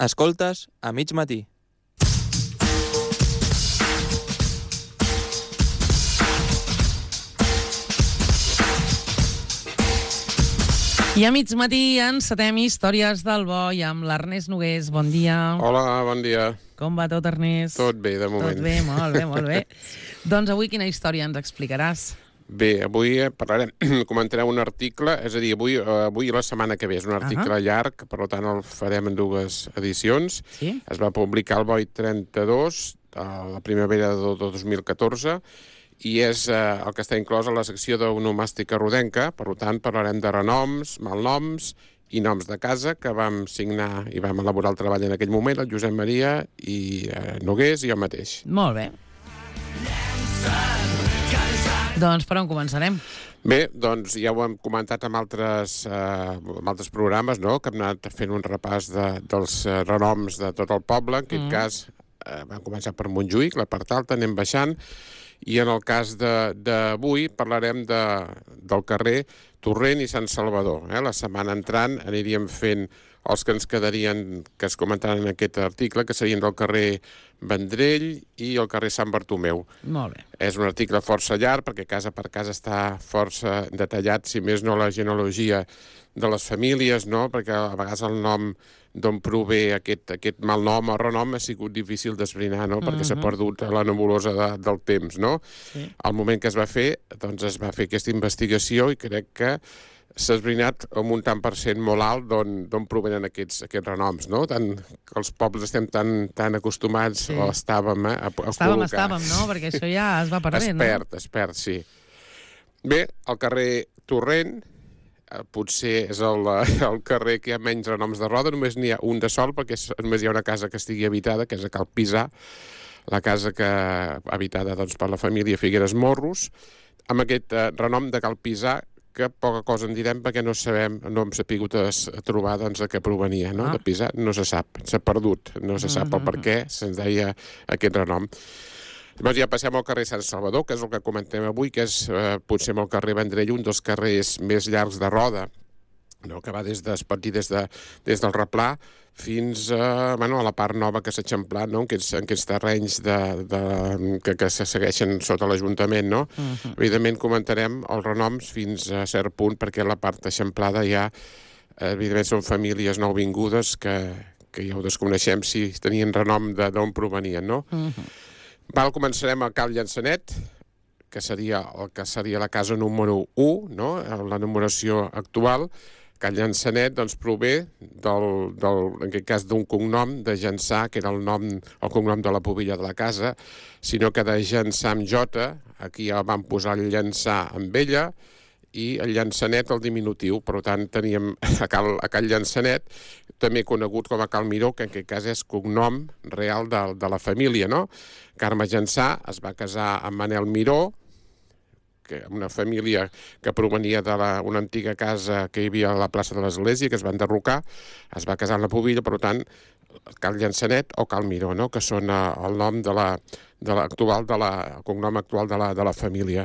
Escoltes a mig matí. I a mig matí encetem Històries del Bo i amb l'Ernest Nogués. Bon dia. Hola, bon dia. Com va tot, Ernest? Tot bé, de moment. Tot bé, molt bé, molt bé. Doncs avui quina història ens explicaràs? Bé, avui parlarem, comentarem un article, és a dir, avui i la setmana que ve. És un article llarg, per tant el farem en dues edicions. Sí? Es va publicar al Boi 32, a la primavera de 2014, i és el que està inclòs a la secció d'onomàstica rodenca. Per tant, parlarem de renoms, malnoms i noms de casa que vam signar i vam elaborar el treball en aquell moment, el Josep Maria i Nogués i jo mateix. Molt bé. Doncs per on començarem? Bé, doncs ja ho hem comentat amb altres programes, no?, que hem anat fent un repàs dels renoms de tot el poble. En aquest cas vam començar per Montjuïc, la part alta, anem baixant, i en el cas d'avui parlarem del carrer Torrent i Sant Salvador. La setmana entrant aniríem fent els que ens quedarien, que es comentaran en aquest article, que serien del carrer Vendrell i el carrer Sant Bartomeu. Molt bé. És un article força llarg, perquè casa per casa està força detallat, si més no la genealogia de les famílies, no?, perquè a vegades el nom d'on prové aquest malnom o renom ha sigut difícil d'esbrinar, no?, perquè s'ha perdut a la nebulosa del temps, no? Sí. Al moment que es va fer, doncs es va fer aquesta investigació i crec que s'ha esbrinat amb un tant per cent molt alt d'on provenen aquests renoms, no? Tant que els pobles estem tan acostumats, o estàvem, a col·locar. Estàvem, no? Perquè això ja es va perdent, no? Es perd, sí. Bé, el carrer Torrent potser és el carrer que hi ha menys renoms de roda, només n'hi ha un de sol, perquè només hi ha una casa que estigui habitada, que és a Cal Pisar, la casa habitada doncs, per la família Figueres Morros, amb aquest renom de Cal Pisar, que poca cosa en direm perquè no hem sapigut trobar doncs, de què provenia, no? De Pisar no se sap, s'ha perdut, no se sap el per què se'ns deia aquest renom. Llavors ja passem al carrer Sant Salvador, que és el que comentem avui, que és potser amb el carrer Vendrell un dels carrers més llargs de Roda, no? Que va des del Replà fins a la part nova que s'ha eixamplat, no?, en aquests terrenys que se segueixen sota l'Ajuntament, no? Evidentment comentarem els renoms fins a cert punt, perquè la part eixamplada ja, evidentment, són famílies nouvingudes que ja ho desconeixem si tenien renom d'on provenien, no? Començarem a Cal Llançanet, que seria la casa número 1, no?, la numeració actual. Cal Llançanet doncs, prové en aquest cas d'un cognom de Llançà, que era el cognom de la pubilla de la casa, sinó que de Llançà amb J, aquí ja van posar el Llançà amb ella, i el Llançanet el diminutiu. Per tant, teníem a Cal Llançanet, també conegut com a Cal Miró, que en aquest cas és cognom real de la família, no? Carme Llançà es va casar amb Manel Miró, una família que provenia d'una antiga casa que hi havia a la plaça de l'Església, que es va enderrocar, es va casar amb la pubilla, per tant, Cal Llançanet o Cal Miró, no?, que són el nom el cognom actual de la família.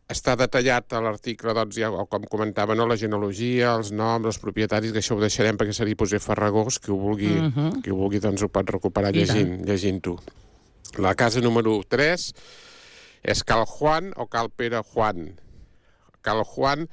Està detallat a l'article, doncs, ja, com comentava, no?, la genealogia, els noms, els propietaris, que això ho deixarem perquè seria potser farragós, qui ho vulgui doncs ho pot recuperar llegint-ho. La casa número 3 és Cal Juan o Cal Pere Juan. Cal Juan,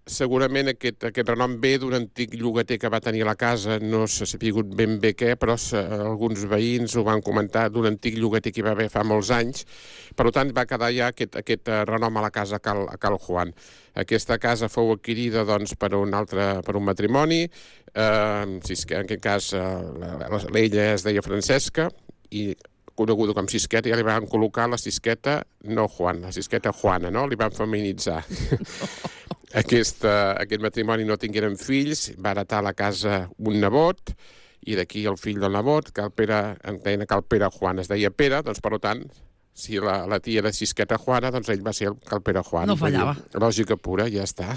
segurament aquest renom ve d'un antic llogater que va tenir la casa, no s'ha sabut ben bé què, però alguns veïns ho van comentar, d'un antic llogater que hi va haver fa molts anys. Per tant, va quedar ja aquest renom a la casa a Cal Juan. Aquesta casa fou adquirida doncs, per un matrimoni, en aquest cas l'ella es deia Francesca, i coneguda com Cisqueta, ja li van col·locar la Cisqueta, no Juan, la Cisqueta Juana, no? Li van feminitzar. Aquest matrimoni no tingueren fills, va heretar la casa un nebot, i d'aquí el fill del nebot, Cal Pere Juan, es deia Pere, doncs per tant, si la tia era Cisqueta Juana, doncs ell va ser el Cal Pere Juan. No fallava. Lògica pura, ja està.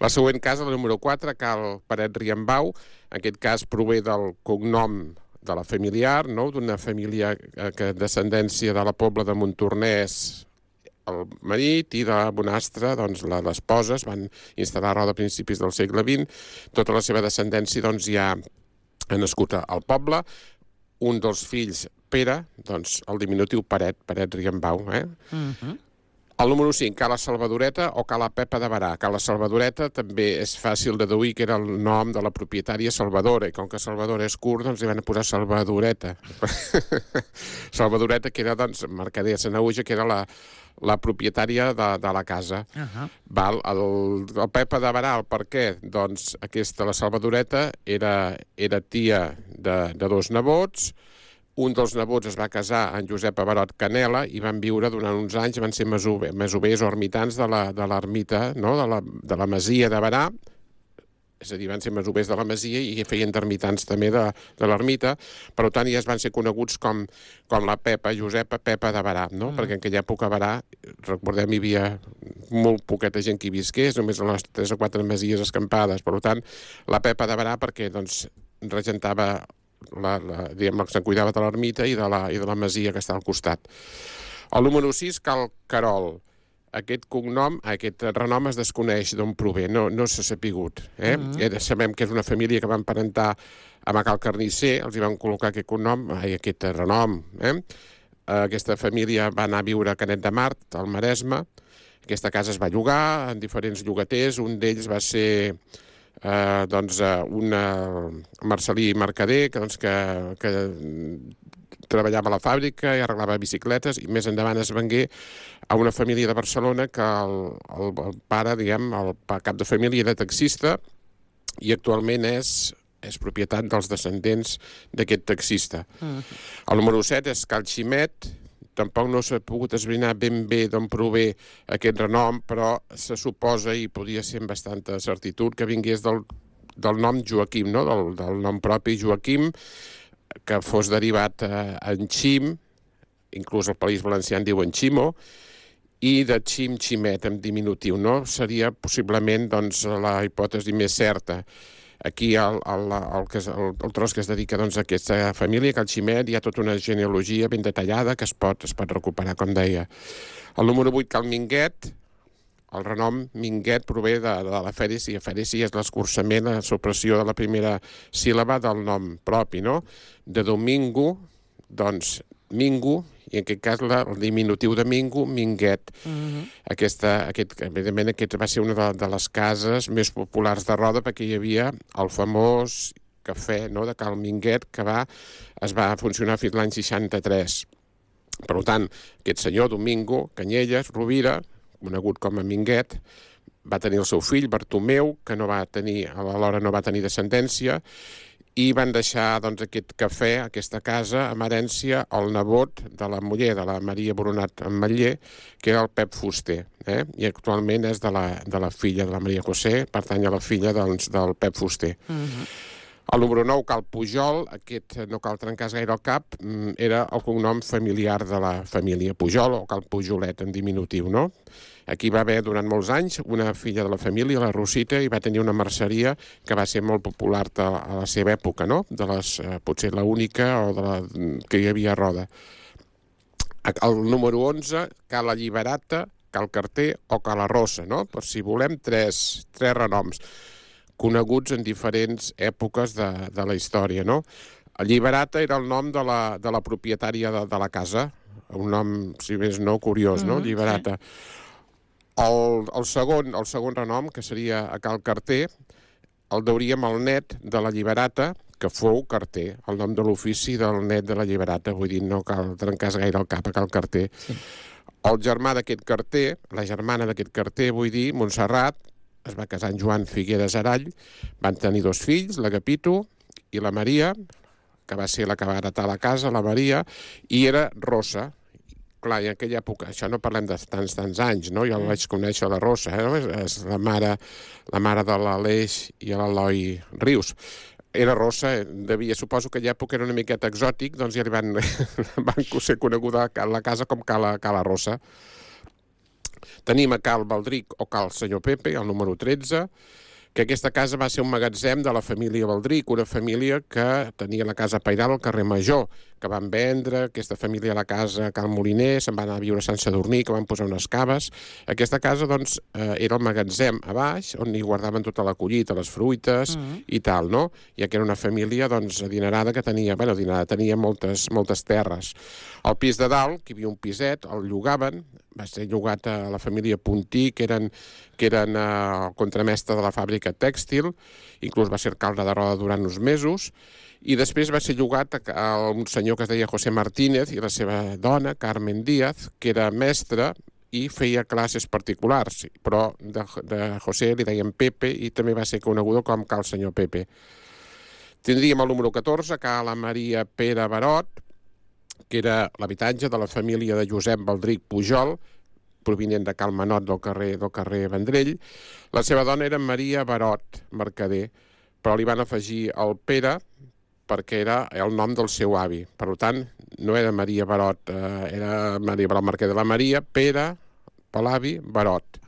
La següent casa, la número 4, Cal Paret Riambau, en aquest cas prové del cognom de la familiar, no?, d'una família que descendència de la Pobla de Montornès el marit, i de Bonastre, doncs, l'esposa, es van instal·lar a Roda a principis del segle XX. Tota la seva descendència doncs, ja ha nascut al poble. Un dels fills, Pere, doncs, el diminutiu Peret Riambau. El número 5, Cala Salvadoreta o Cala Pepa de Barà. Cala Salvadoreta també és fàcil de deduir que era el nom de la propietària Salvadora, i com que Salvadora és curt, doncs li van posar Salvadoreta. Salvadoreta, que era, doncs, mercader a Sanaüja, que era la propietària de la casa. Val? El Pepa de Barà, per què? Doncs la Salvadoreta era tia de 2 nebots. Un dels nebots es va casar amb Josep Averot Canela i van viure durant uns anys, van ser masovers o ermitans de l'ermita, no? de la masia de Barà. És a dir, van ser masovers de la masia i feien d'ermitans també de l'ermita. Per tant, ja es van ser coneguts com la Josepa Pepa de Barà, no? Perquè en aquella època a Barà, recordem, hi havia molt poqueta gent que hi visqués, només les 3 o 4 masies escampades. Per tant, la Pepa de Barà, perquè doncs, regentava se'n cuidava de l'ermita i de la masia que està al costat. El número 6, Cal Carol. Aquest renom es desconeix d'on prové, no s'ha sapigut. Sabem que és una família que va emparentar amb Cal Carnisser, els hi van col·locar aquest renom. Aquesta família va anar a viure a Canet de Mar, al Maresme. Aquesta casa es va llogar en diferents llogaters, un d'ells va ser un Marcelí Mercader que treballava a la fàbrica i arreglava bicicletes, i més endavant es vengué a una família de Barcelona que el pare, el cap de família, era taxista i actualment és propietat dels descendents d'aquest taxista. El número 7 és Cal Ximet. Tampoc no s'ha pogut esbrinar ben bé d'on prové aquest renom, però se suposa, i podria ser amb bastanta certitud, que vingués del nom Joaquim, no? del nom propi Joaquim, que fos derivat en Xim, inclús el País Valencià en diuen Ximo, i de Xim Ximet, en diminutiu, no? Seria possiblement doncs, la hipòtesi més certa. Aquí el tros que es dedica doncs, a aquesta família, Cal Ximet, hi ha tota una genealogia ben detallada que es pot recuperar, com deia. El número 8, Cal Minguet. El renom Minguet prové de la fèrici. Fèrici és l'escurçament, la supressió de la primera síl·laba del nom propi, no? De Domingo, doncs, Mingo, i en aquest cas el diminutiu de Mingo, Minguet. Evidentment, aquest va ser una de les cases més populars de Roda, perquè hi havia el famós cafè, no?, de Cal Minguet, que es va funcionar fins l'any 63. Per tant, aquest senyor, Domingo Canyelles Rovira, conegut com a Minguet, va tenir el seu fill, Bartomeu, que alhora no va tenir descendència, i van deixar doncs, aquest cafè, aquesta casa, amb herència al nebot de la muller, de la Maria Boronat Ametller, que era el Pep Fuster, i actualment és de la filla de la Maria José, pertany a la filla del Pep Fuster. El número 9, Cal Pujol, aquest no cal trencar gaire el cap, era el cognom familiar de la família Pujol, o Cal Pujolet en diminutiu, no? Aquí va haver durant molts anys una filla de la família, la Rosita, i va tenir una merceria que va ser molt popular a la seva època, no? Potser l'única que hi havia a Roda. El número 11, Cal Alliberata, Cal Carter o Cal Arrossa, no? Per si volem, tres renoms coneguts en diferents èpoques de la història, no? Alliberata era el nom de la propietària de la casa, un nom, si més no, curiós, no? Alliberata. El segon renom, que seria a Cal Carter, el deuríem al net de la Alliberata, que fou Carter, el nom de l'ofici del net de la Alliberata, vull dir, no cal trencar gaire el cap a Cal Carter. El germà d'aquest Carter, la germana d'aquest Carter, vull dir, Montserrat, es va casar amb Joan Figueres Arall, van tenir 2 fills, l'Agapito i la Maria, que va ser la que va heretar la casa, la Maria, i era Rosa. Clar, i en aquella època, això no parlem de tants anys, no? Jo la vaig conèixer, la Rosa, és la mare de l'Aleix i l'Eloi Rius. Era Rosa, suposo que en aquella època era una miqueta exòtic, doncs ja li van ser coneguda la casa com Cala Rosa. Tenim a Cal Baldric o Cal Senyor Pepe, el número 13, que aquesta casa va ser un magatzem de la família Baldric, una família que tenia la casa pairal al carrer Major, que van vendre aquesta família a la casa a Cal Moliner, se'n van anar a viure a Sant Sadurní, que van posar unes caves. Aquesta casa, doncs, era el magatzem a baix, on hi guardaven tota la collita, les fruites i tal, no? Ja que era una família, doncs, adinerada que tenia, bueno, adinerada, tenia moltes terres. Al pis de dalt, que hi havia un piset, el llogaven, va ser llogat a la família Puntí, que eren el contramestre de la fàbrica tèxtil, inclús va ser alcalde de Roda durant uns mesos, i després va ser llogat a un senyor que es deia José Martínez i la seva dona, Carmen Díaz, que era mestra i feia classes particulars, però de José li deien Pepe i també va ser coneguda com Cal Senyor Pepe. Tindríem el número 14, Cal Maria Pere Barot, que era l'habitatge de la família de Josep Baldric Pujol, provinent de Cal Manot del carrer Vendrell. La seva dona era Maria Barot Mercader, però li van afegir el Pere perquè era el nom del seu avi. Per tant, no era Maria Barot, era Maria Barot Mercader. La Maria Pere, per l'avi, Barot.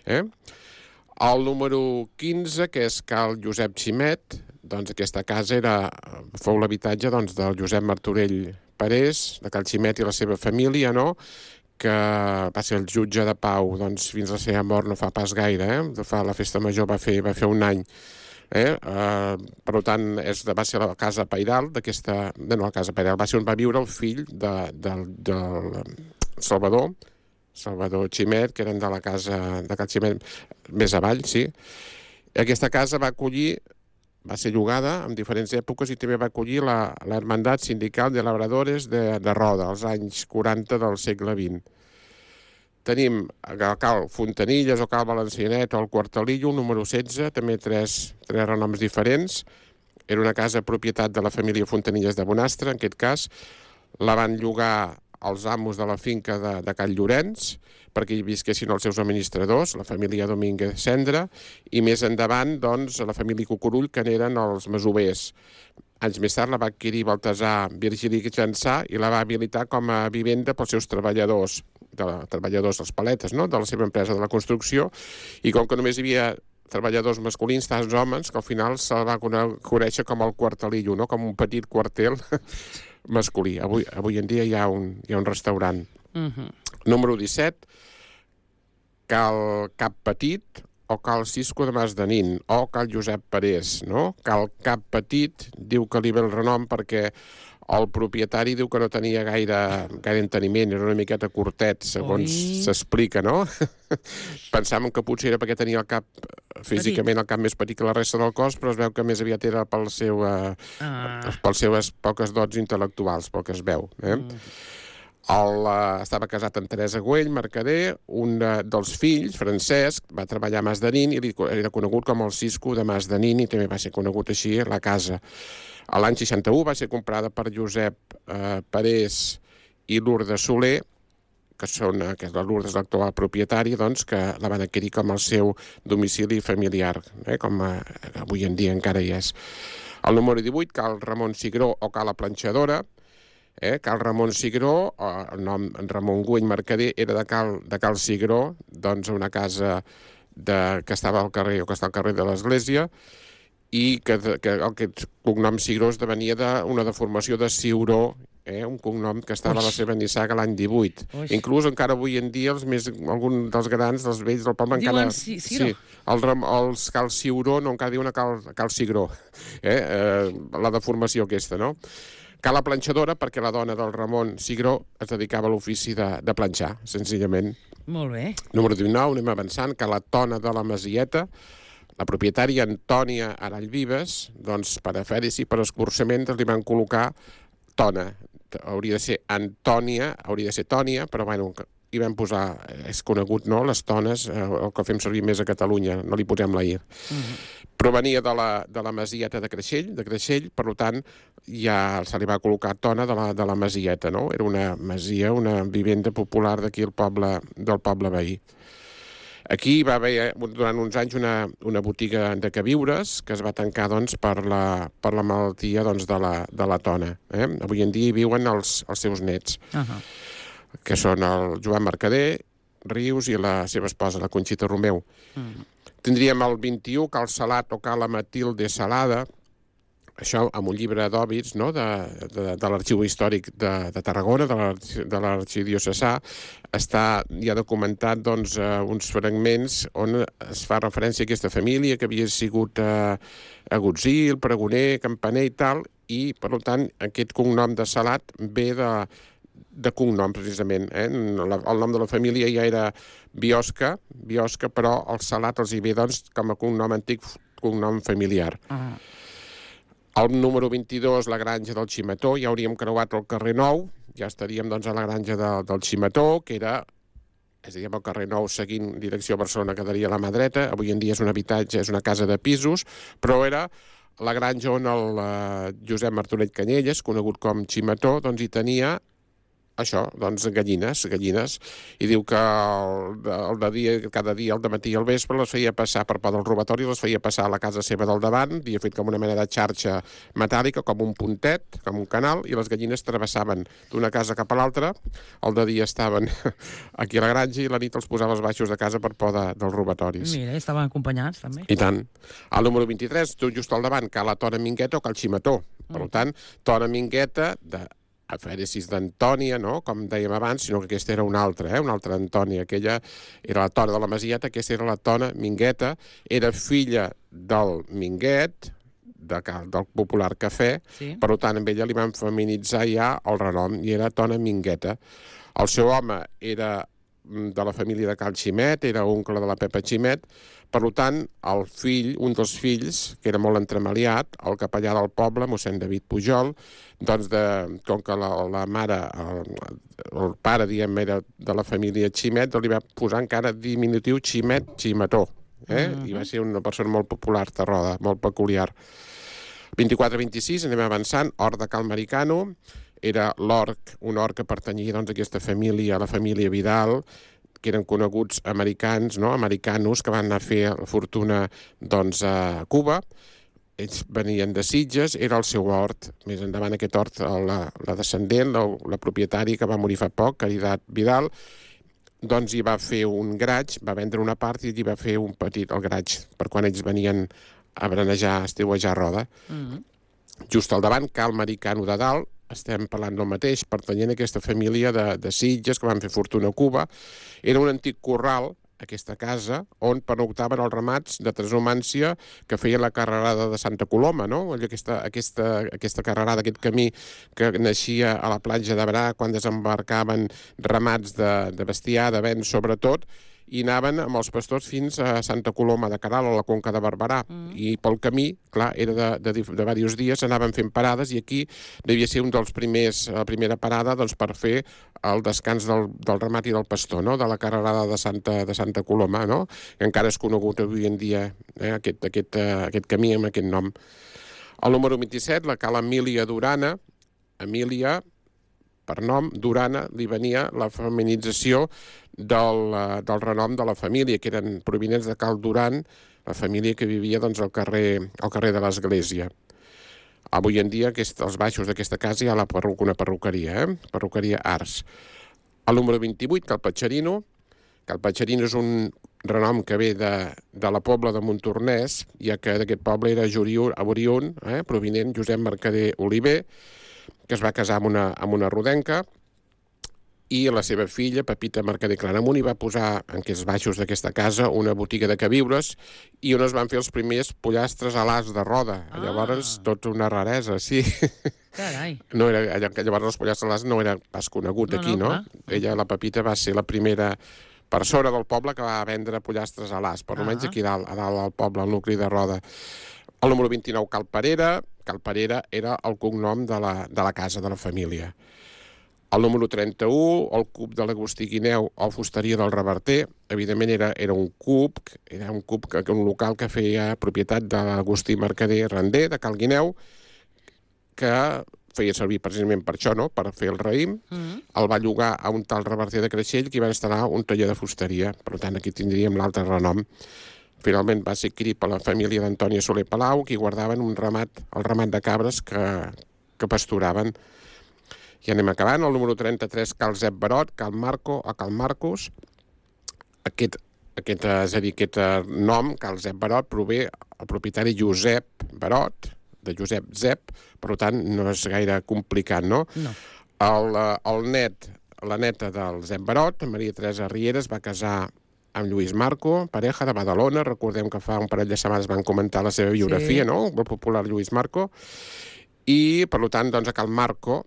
El número 15, que és Cal Josep Ximet, doncs aquesta casa fou l'habitatge doncs, del Josep Martorell Parés, de Cal Ximet i la seva família, no?, que va ser el jutge de pau doncs, fins a la seva mort no fa pas gaire, la festa major va fer un any. Per tant, va ser la casa pairal d'aquesta... No, la casa pairal, va ser on va viure el fill del Salvador Ximet, que eren de la casa de Cal Ximet, més avall, sí. Aquesta casa va ser llogada en diferents èpoques i també va acollir la Hermandat Sindical de Labradores de Roda, als anys 40 del segle XX. Tenim el Cal Fontanilles o Cal Valencianet o el Quartalillo, el número 16, també tres renoms diferents. Era una casa propietat de la família Fontanilles de Bonastre, en aquest cas. La van llogar els amos de la finca de Cal Llorenç, perquè hi visquessin els seus administradors, la família Domínguez Cendra, i més endavant, doncs, la família Cucurull, que n'eren els masovers. Anys més tard la va adquirir Baltasar Virgili Jansà i la va habilitar com a vivenda pels seus treballadors dels paletes, no?, de la seva empresa de la construcció, i com que només hi havia treballadors masculins, tants homes, que al final se'l va conèixer com el Quartalillo, no?, com un petit quartel masculí. Avui en dia hi ha un restaurant. Número 17, Cal Cap Petit o Cal Cisco de Masdenín o Cal Josep Parés, no? Cal Cap Petit diu que li ve el renom perquè el propietari diu que no tenia gaire enteniment, era una miqueta curtet, segons s'explica, no? Pensàvem que potser era perquè tenia el cap, físicament el cap més petit que la resta del cos, però es veu que més aviat era pels seves poques dots intel·lectuals, pel que es veu. Estava casat amb Teresa Güell Mercader, un dels fills, Francesc, va treballar a Masdenín i era conegut com el Cisco de Masdenín i també va ser conegut així la casa. A l'any 61 va ser comprada per Josep Parés i Lourdes Soler, que és la Lourdes l'actual propietari, doncs, que la van adquirir com el seu domicili familiar, com avui en dia encara hi és. El número 18, Cal Ramon Cigró o Cal la Planxadora. Cal Ramon Cigró, el nom Ramon Güell Mercader, era de Cal Cigró, doncs una casa que estava al carrer, o que està al carrer de l'Església, i que aquest cognom Cigró esdevenia d'una deformació de Ciuró, un cognom que estava a la seva nissaga l'any 18. Inclús encara avui en dia alguns dels grans, dels vells del poble encara... Diuen Cigró? Sí, els Cal Ciuró encara diuen Cal Cigró, la deformació aquesta, no? Cal la Planxadora perquè la dona del Ramon Cigró es dedicava a l'ofici de planxar, senzillament. Molt bé. Número 19, anem avançant, que la Tona de la Masieta, la propietària Antònia Arall Vives, doncs per afèris i per escurçament li van col·locar Tona. Hauria de ser Antònia, hauria de ser Tònia, però bueno, hi vam posar, és conegut, no?, les tones, el que fem servir més a Catalunya, no li posem la I. Provenia de la Masieta de Creixell, per tant, ja se li va col·locar Tona de la Masieta, no? Era una masia, una vivenda popular d'aquí del poble veí. Aquí hi va haver durant uns anys una botiga de queviures que es va tancar doncs, per la malaltia doncs, de la Tona. Avui en dia hi viuen els seus nets, que són el Joan Mercader, Rius i la seva esposa, la Conxita Romeu. Tindríem el 21, Cal Salat o Cala Matilde Salada, això amb un llibre d'òbits, no?, de l'Arxiu Històric de Tarragona, de l'Arxidiocesà. Està ja documentat doncs, uns fragments on es fa referència a aquesta família que havia sigut agutzil, pregoner, campaner i tal, i, per tant, aquest cognom de Salat ve de cognom, precisament. El nom de la família ja era Biosca, però el Salat els hi ve, doncs, com a cognom antic, cognom familiar. El número 22, la granja del Ximató, ja hauríem creuat el carrer Nou, ja estaríem doncs, a la granja del Ximató, que era, és a dir, el carrer Nou seguint direcció a Barcelona quedaria a la mà dreta, avui en dia és un habitatge, és una casa de pisos, però era la granja on el Josep Martorell Canyelles, conegut com Ximató, doncs hi tenia això, doncs gallines, i diu que cada dia, al dematí i al vespre, les feia passar per por del robatori, les feia passar a la casa seva del davant, havia fet com una mena de xarxa metàl·lica, com un puntet, com un canal, i les gallines travessaven d'una casa cap a l'altra, el de dia estaven aquí a la granja i la nit els posava als baixos de casa per por dels robatoris. Mira, estaven acompanyats, també. I tant. Al número 23, just al davant, Cal la Tona Mingueta o Cal Ximató. Per tant, Tona Mingueta a Fèrecis d'Antònia, no?, com dèiem abans, sinó que aquesta era una altra Antònia. Aquella era la Tona de la Masieta, aquesta era la Tona Mingueta, era filla del Minguet, del popular cafè, sí. Per tant, amb ella li van feminitzar ja el renom, i era Tona Mingueta. El seu home era de la família de Cal Ximet, era oncle de la Pepa Ximet, per tant, el fill, un dels fills, que era molt entremaliat, el capellà del poble, mossèn David Pujol, doncs, com que la mare, el pare, diguem, era de la família Ximet, li va posar encara diminutiu Ximató, i va ser una persona molt popular a Roda, molt peculiar. 24-26, anem avançant, Hort de Cal Maricano, era l'hort, un hort que pertanyia doncs, a aquesta família, a la família Vidal, que eren coneguts americans, no?, americanos, que van anar a fer la fortuna doncs, a Cuba. Ells venien de Sitges, era el seu hort. Més endavant aquest hort, la descendent, la propietària que va morir fa poc, Caritat Vidal, doncs hi va fer un graig, va vendre una part i hi va fer un petit, el graig, per quan ells venien a berenejar, a estiuejar Roda. Just al davant, Cal Maricano de Dalt, estem parlant del mateix, pertanyent a aquesta família de Sitges que van fer fortuna a Cuba. Era un antic corral, aquesta casa, on pernoctaven els ramats de transhumància que feien la carrerada de Santa Coloma, no? Aquesta carrerada, aquest camí que naixia a la platja de Brà quan desembarcaven ramats de bestiar, de vent sobretot, i anaven amb els pastors fins a Santa Coloma de Queralt, a la Conca de Barberà. I pel camí, clar, era de diversos dies, anaven fent parades, i aquí devia ser la primera parada doncs, per fer el descans del ramat i del pastor, no?, de la carrerada de Santa Coloma, no?, que encara és conegut avui en dia, aquest camí amb aquest nom. El número 27, la Cala Emília Durana, Emília, per nom, Durana, li venia la feminització del renom de la família, que eren provinents de Cal Duran, la família que vivia doncs, al carrer de l'Església. Avui en dia, als baixos d'aquesta casa hi ha una perruqueria, perruqueria Ars. El número 28, Cal Patxerino. Cal Patxerino és un renom que ve de la Pobla de Montornès, ja que d'aquest poble era Oriun, provinent Josep Mercader Oliver, que es va casar amb una rodenca, i la seva filla, Pepita Mercader Claramunt, hi va posar en aquests baixos d'aquesta casa una botiga de queviures i on es van fer els primers pollastres a l'as de Roda. Llavors, tot una raresa, sí. Carai. Llavors els pollastres a l'as no era pas conegut aquí, no? Ella, la Pepita, va ser la primera persona del poble que va vendre pollastres a l'as, per almenys aquí a dalt al poble, al nucli de Roda. El número 29, Cal Parera. Cal Parera era el cognom de la casa, de la família. El número 31, el cub de l'Agustí Guineu o fusteria del Reverter. Evidentment era un cub, un local que feia propietat de l'Agustí Mercader Render, de Cal Guineu, que feia servir precisament per això, no?, per fer el raïm. El va llogar a un tal Reverter de Creixell que hi va instal·lar un taller de fusteria. Per tant, aquí tindríem l'altre renom. Finalment va ser adquirit per la família d'Antònia Soler Palau, que hi guardaven el ramat de cabres que pasturaven. I anem acabant. El número 33, Cal Zep Barot, Cal Marco o Cal Marcos. Aquest és a dir, aquest nom, Cal Zep Barot, prové el propietari Josep Barot, de Josep Zep, per tant, no és gaire complicat, no? No. La neta del Zep Barot, Maria Teresa Rieres, va casar amb Lluís Marco, pareja de Badalona. Recordem que fa un parell de setmanes van comentar la seva biografia, no? El popular Lluís Marco. I, per tant, doncs, a Cal Marco,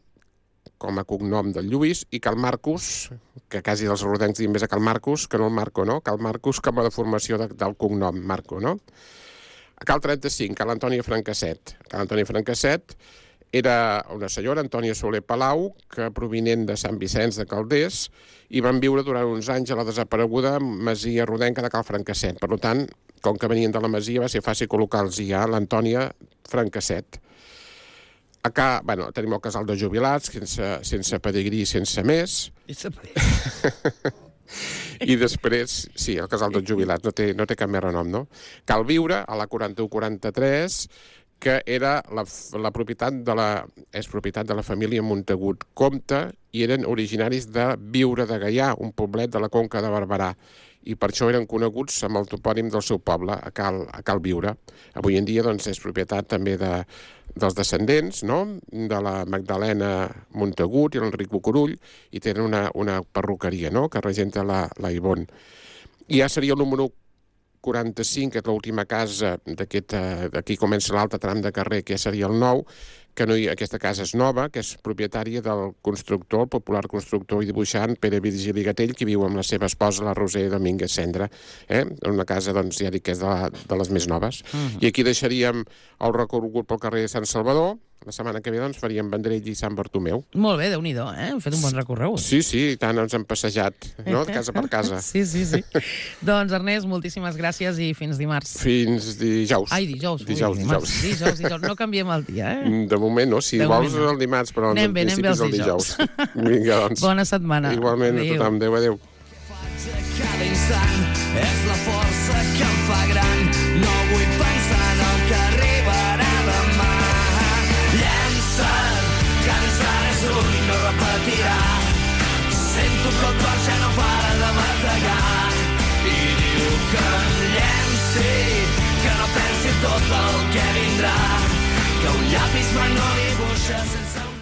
com a cognom del Lluís, i Cal Marcus, que quasi els rodencs diuen més a Cal Marcus que no el Marco, no? Cal Marcus com a deformació del cognom, Marco, no? A Cal 35, Cal Antònia Francasset. Cal Antònia Francasset era una senyora, Antònia Soler Palau, que provinent de Sant Vicenç de Calders, i van viure durant uns anys a la desapareguda masia rodenca de Cal Francasset. Per tant, com que venien de la masia, va ser fàcil col·locar-los ja l'Antònia Francasset. Acá, bueno, tenim el casal de jubilats, sense pedigrí, sense més. I després, sí, el casal dels jubilats, no té cap més renom, no? Cal Viure, a la 41-43, que era la propietat és propietat de la família Montagut Comte, i eren originaris de Viure de Gaià, un poblet de la Conca de Barberà, i per això eren coneguts amb el topònim del seu poble, a Cal Viure. Avui en dia doncs, és propietat també dels descendents, no? De la Magdalena Montagut i l'Enric Bocorull, i tenen una perruqueria, no? Que regenta la Ivonne. I ja seria el número 45, que és l'última casa d'aquí comença l'altre tram de carrer, que ja seria el 9, que aquesta casa és nova, que és propietària del constructor, el popular constructor i dibuixant Pere Virgili Gatell, que viu amb la seva esposa, la Roser Domínguez Cendra. Una casa, doncs, ja dic que és de les més noves. I aquí deixaríem el recorregut pel carrer de Sant Salvador. La setmana que ve, doncs, faríem Vendrell i Sant Bartomeu. Molt bé, Déu-n'hi-do, Hem fet un bon recorregut. Sí, i tant ens hem passejat, no? De casa per casa. Sí. Doncs, Ernest, moltíssimes gràcies i fins dimarts. Fins dijous. Ai, dijous. Dijous. No canviem el dia, De moment no, si vols el dimarts, però en principi és el dijous. Vinga, doncs. Bona setmana. Igualment a tothom. Adéu. Cada instant és la força que em fa gran. No vull pensar en el que arribarà demà. Llença't, que és ull, no repetirà. Sento que el cor ja no para de bategar. I diu que em llenci, que no pensi tot el que vindrà. Que un llapis blanc no dibuixa sense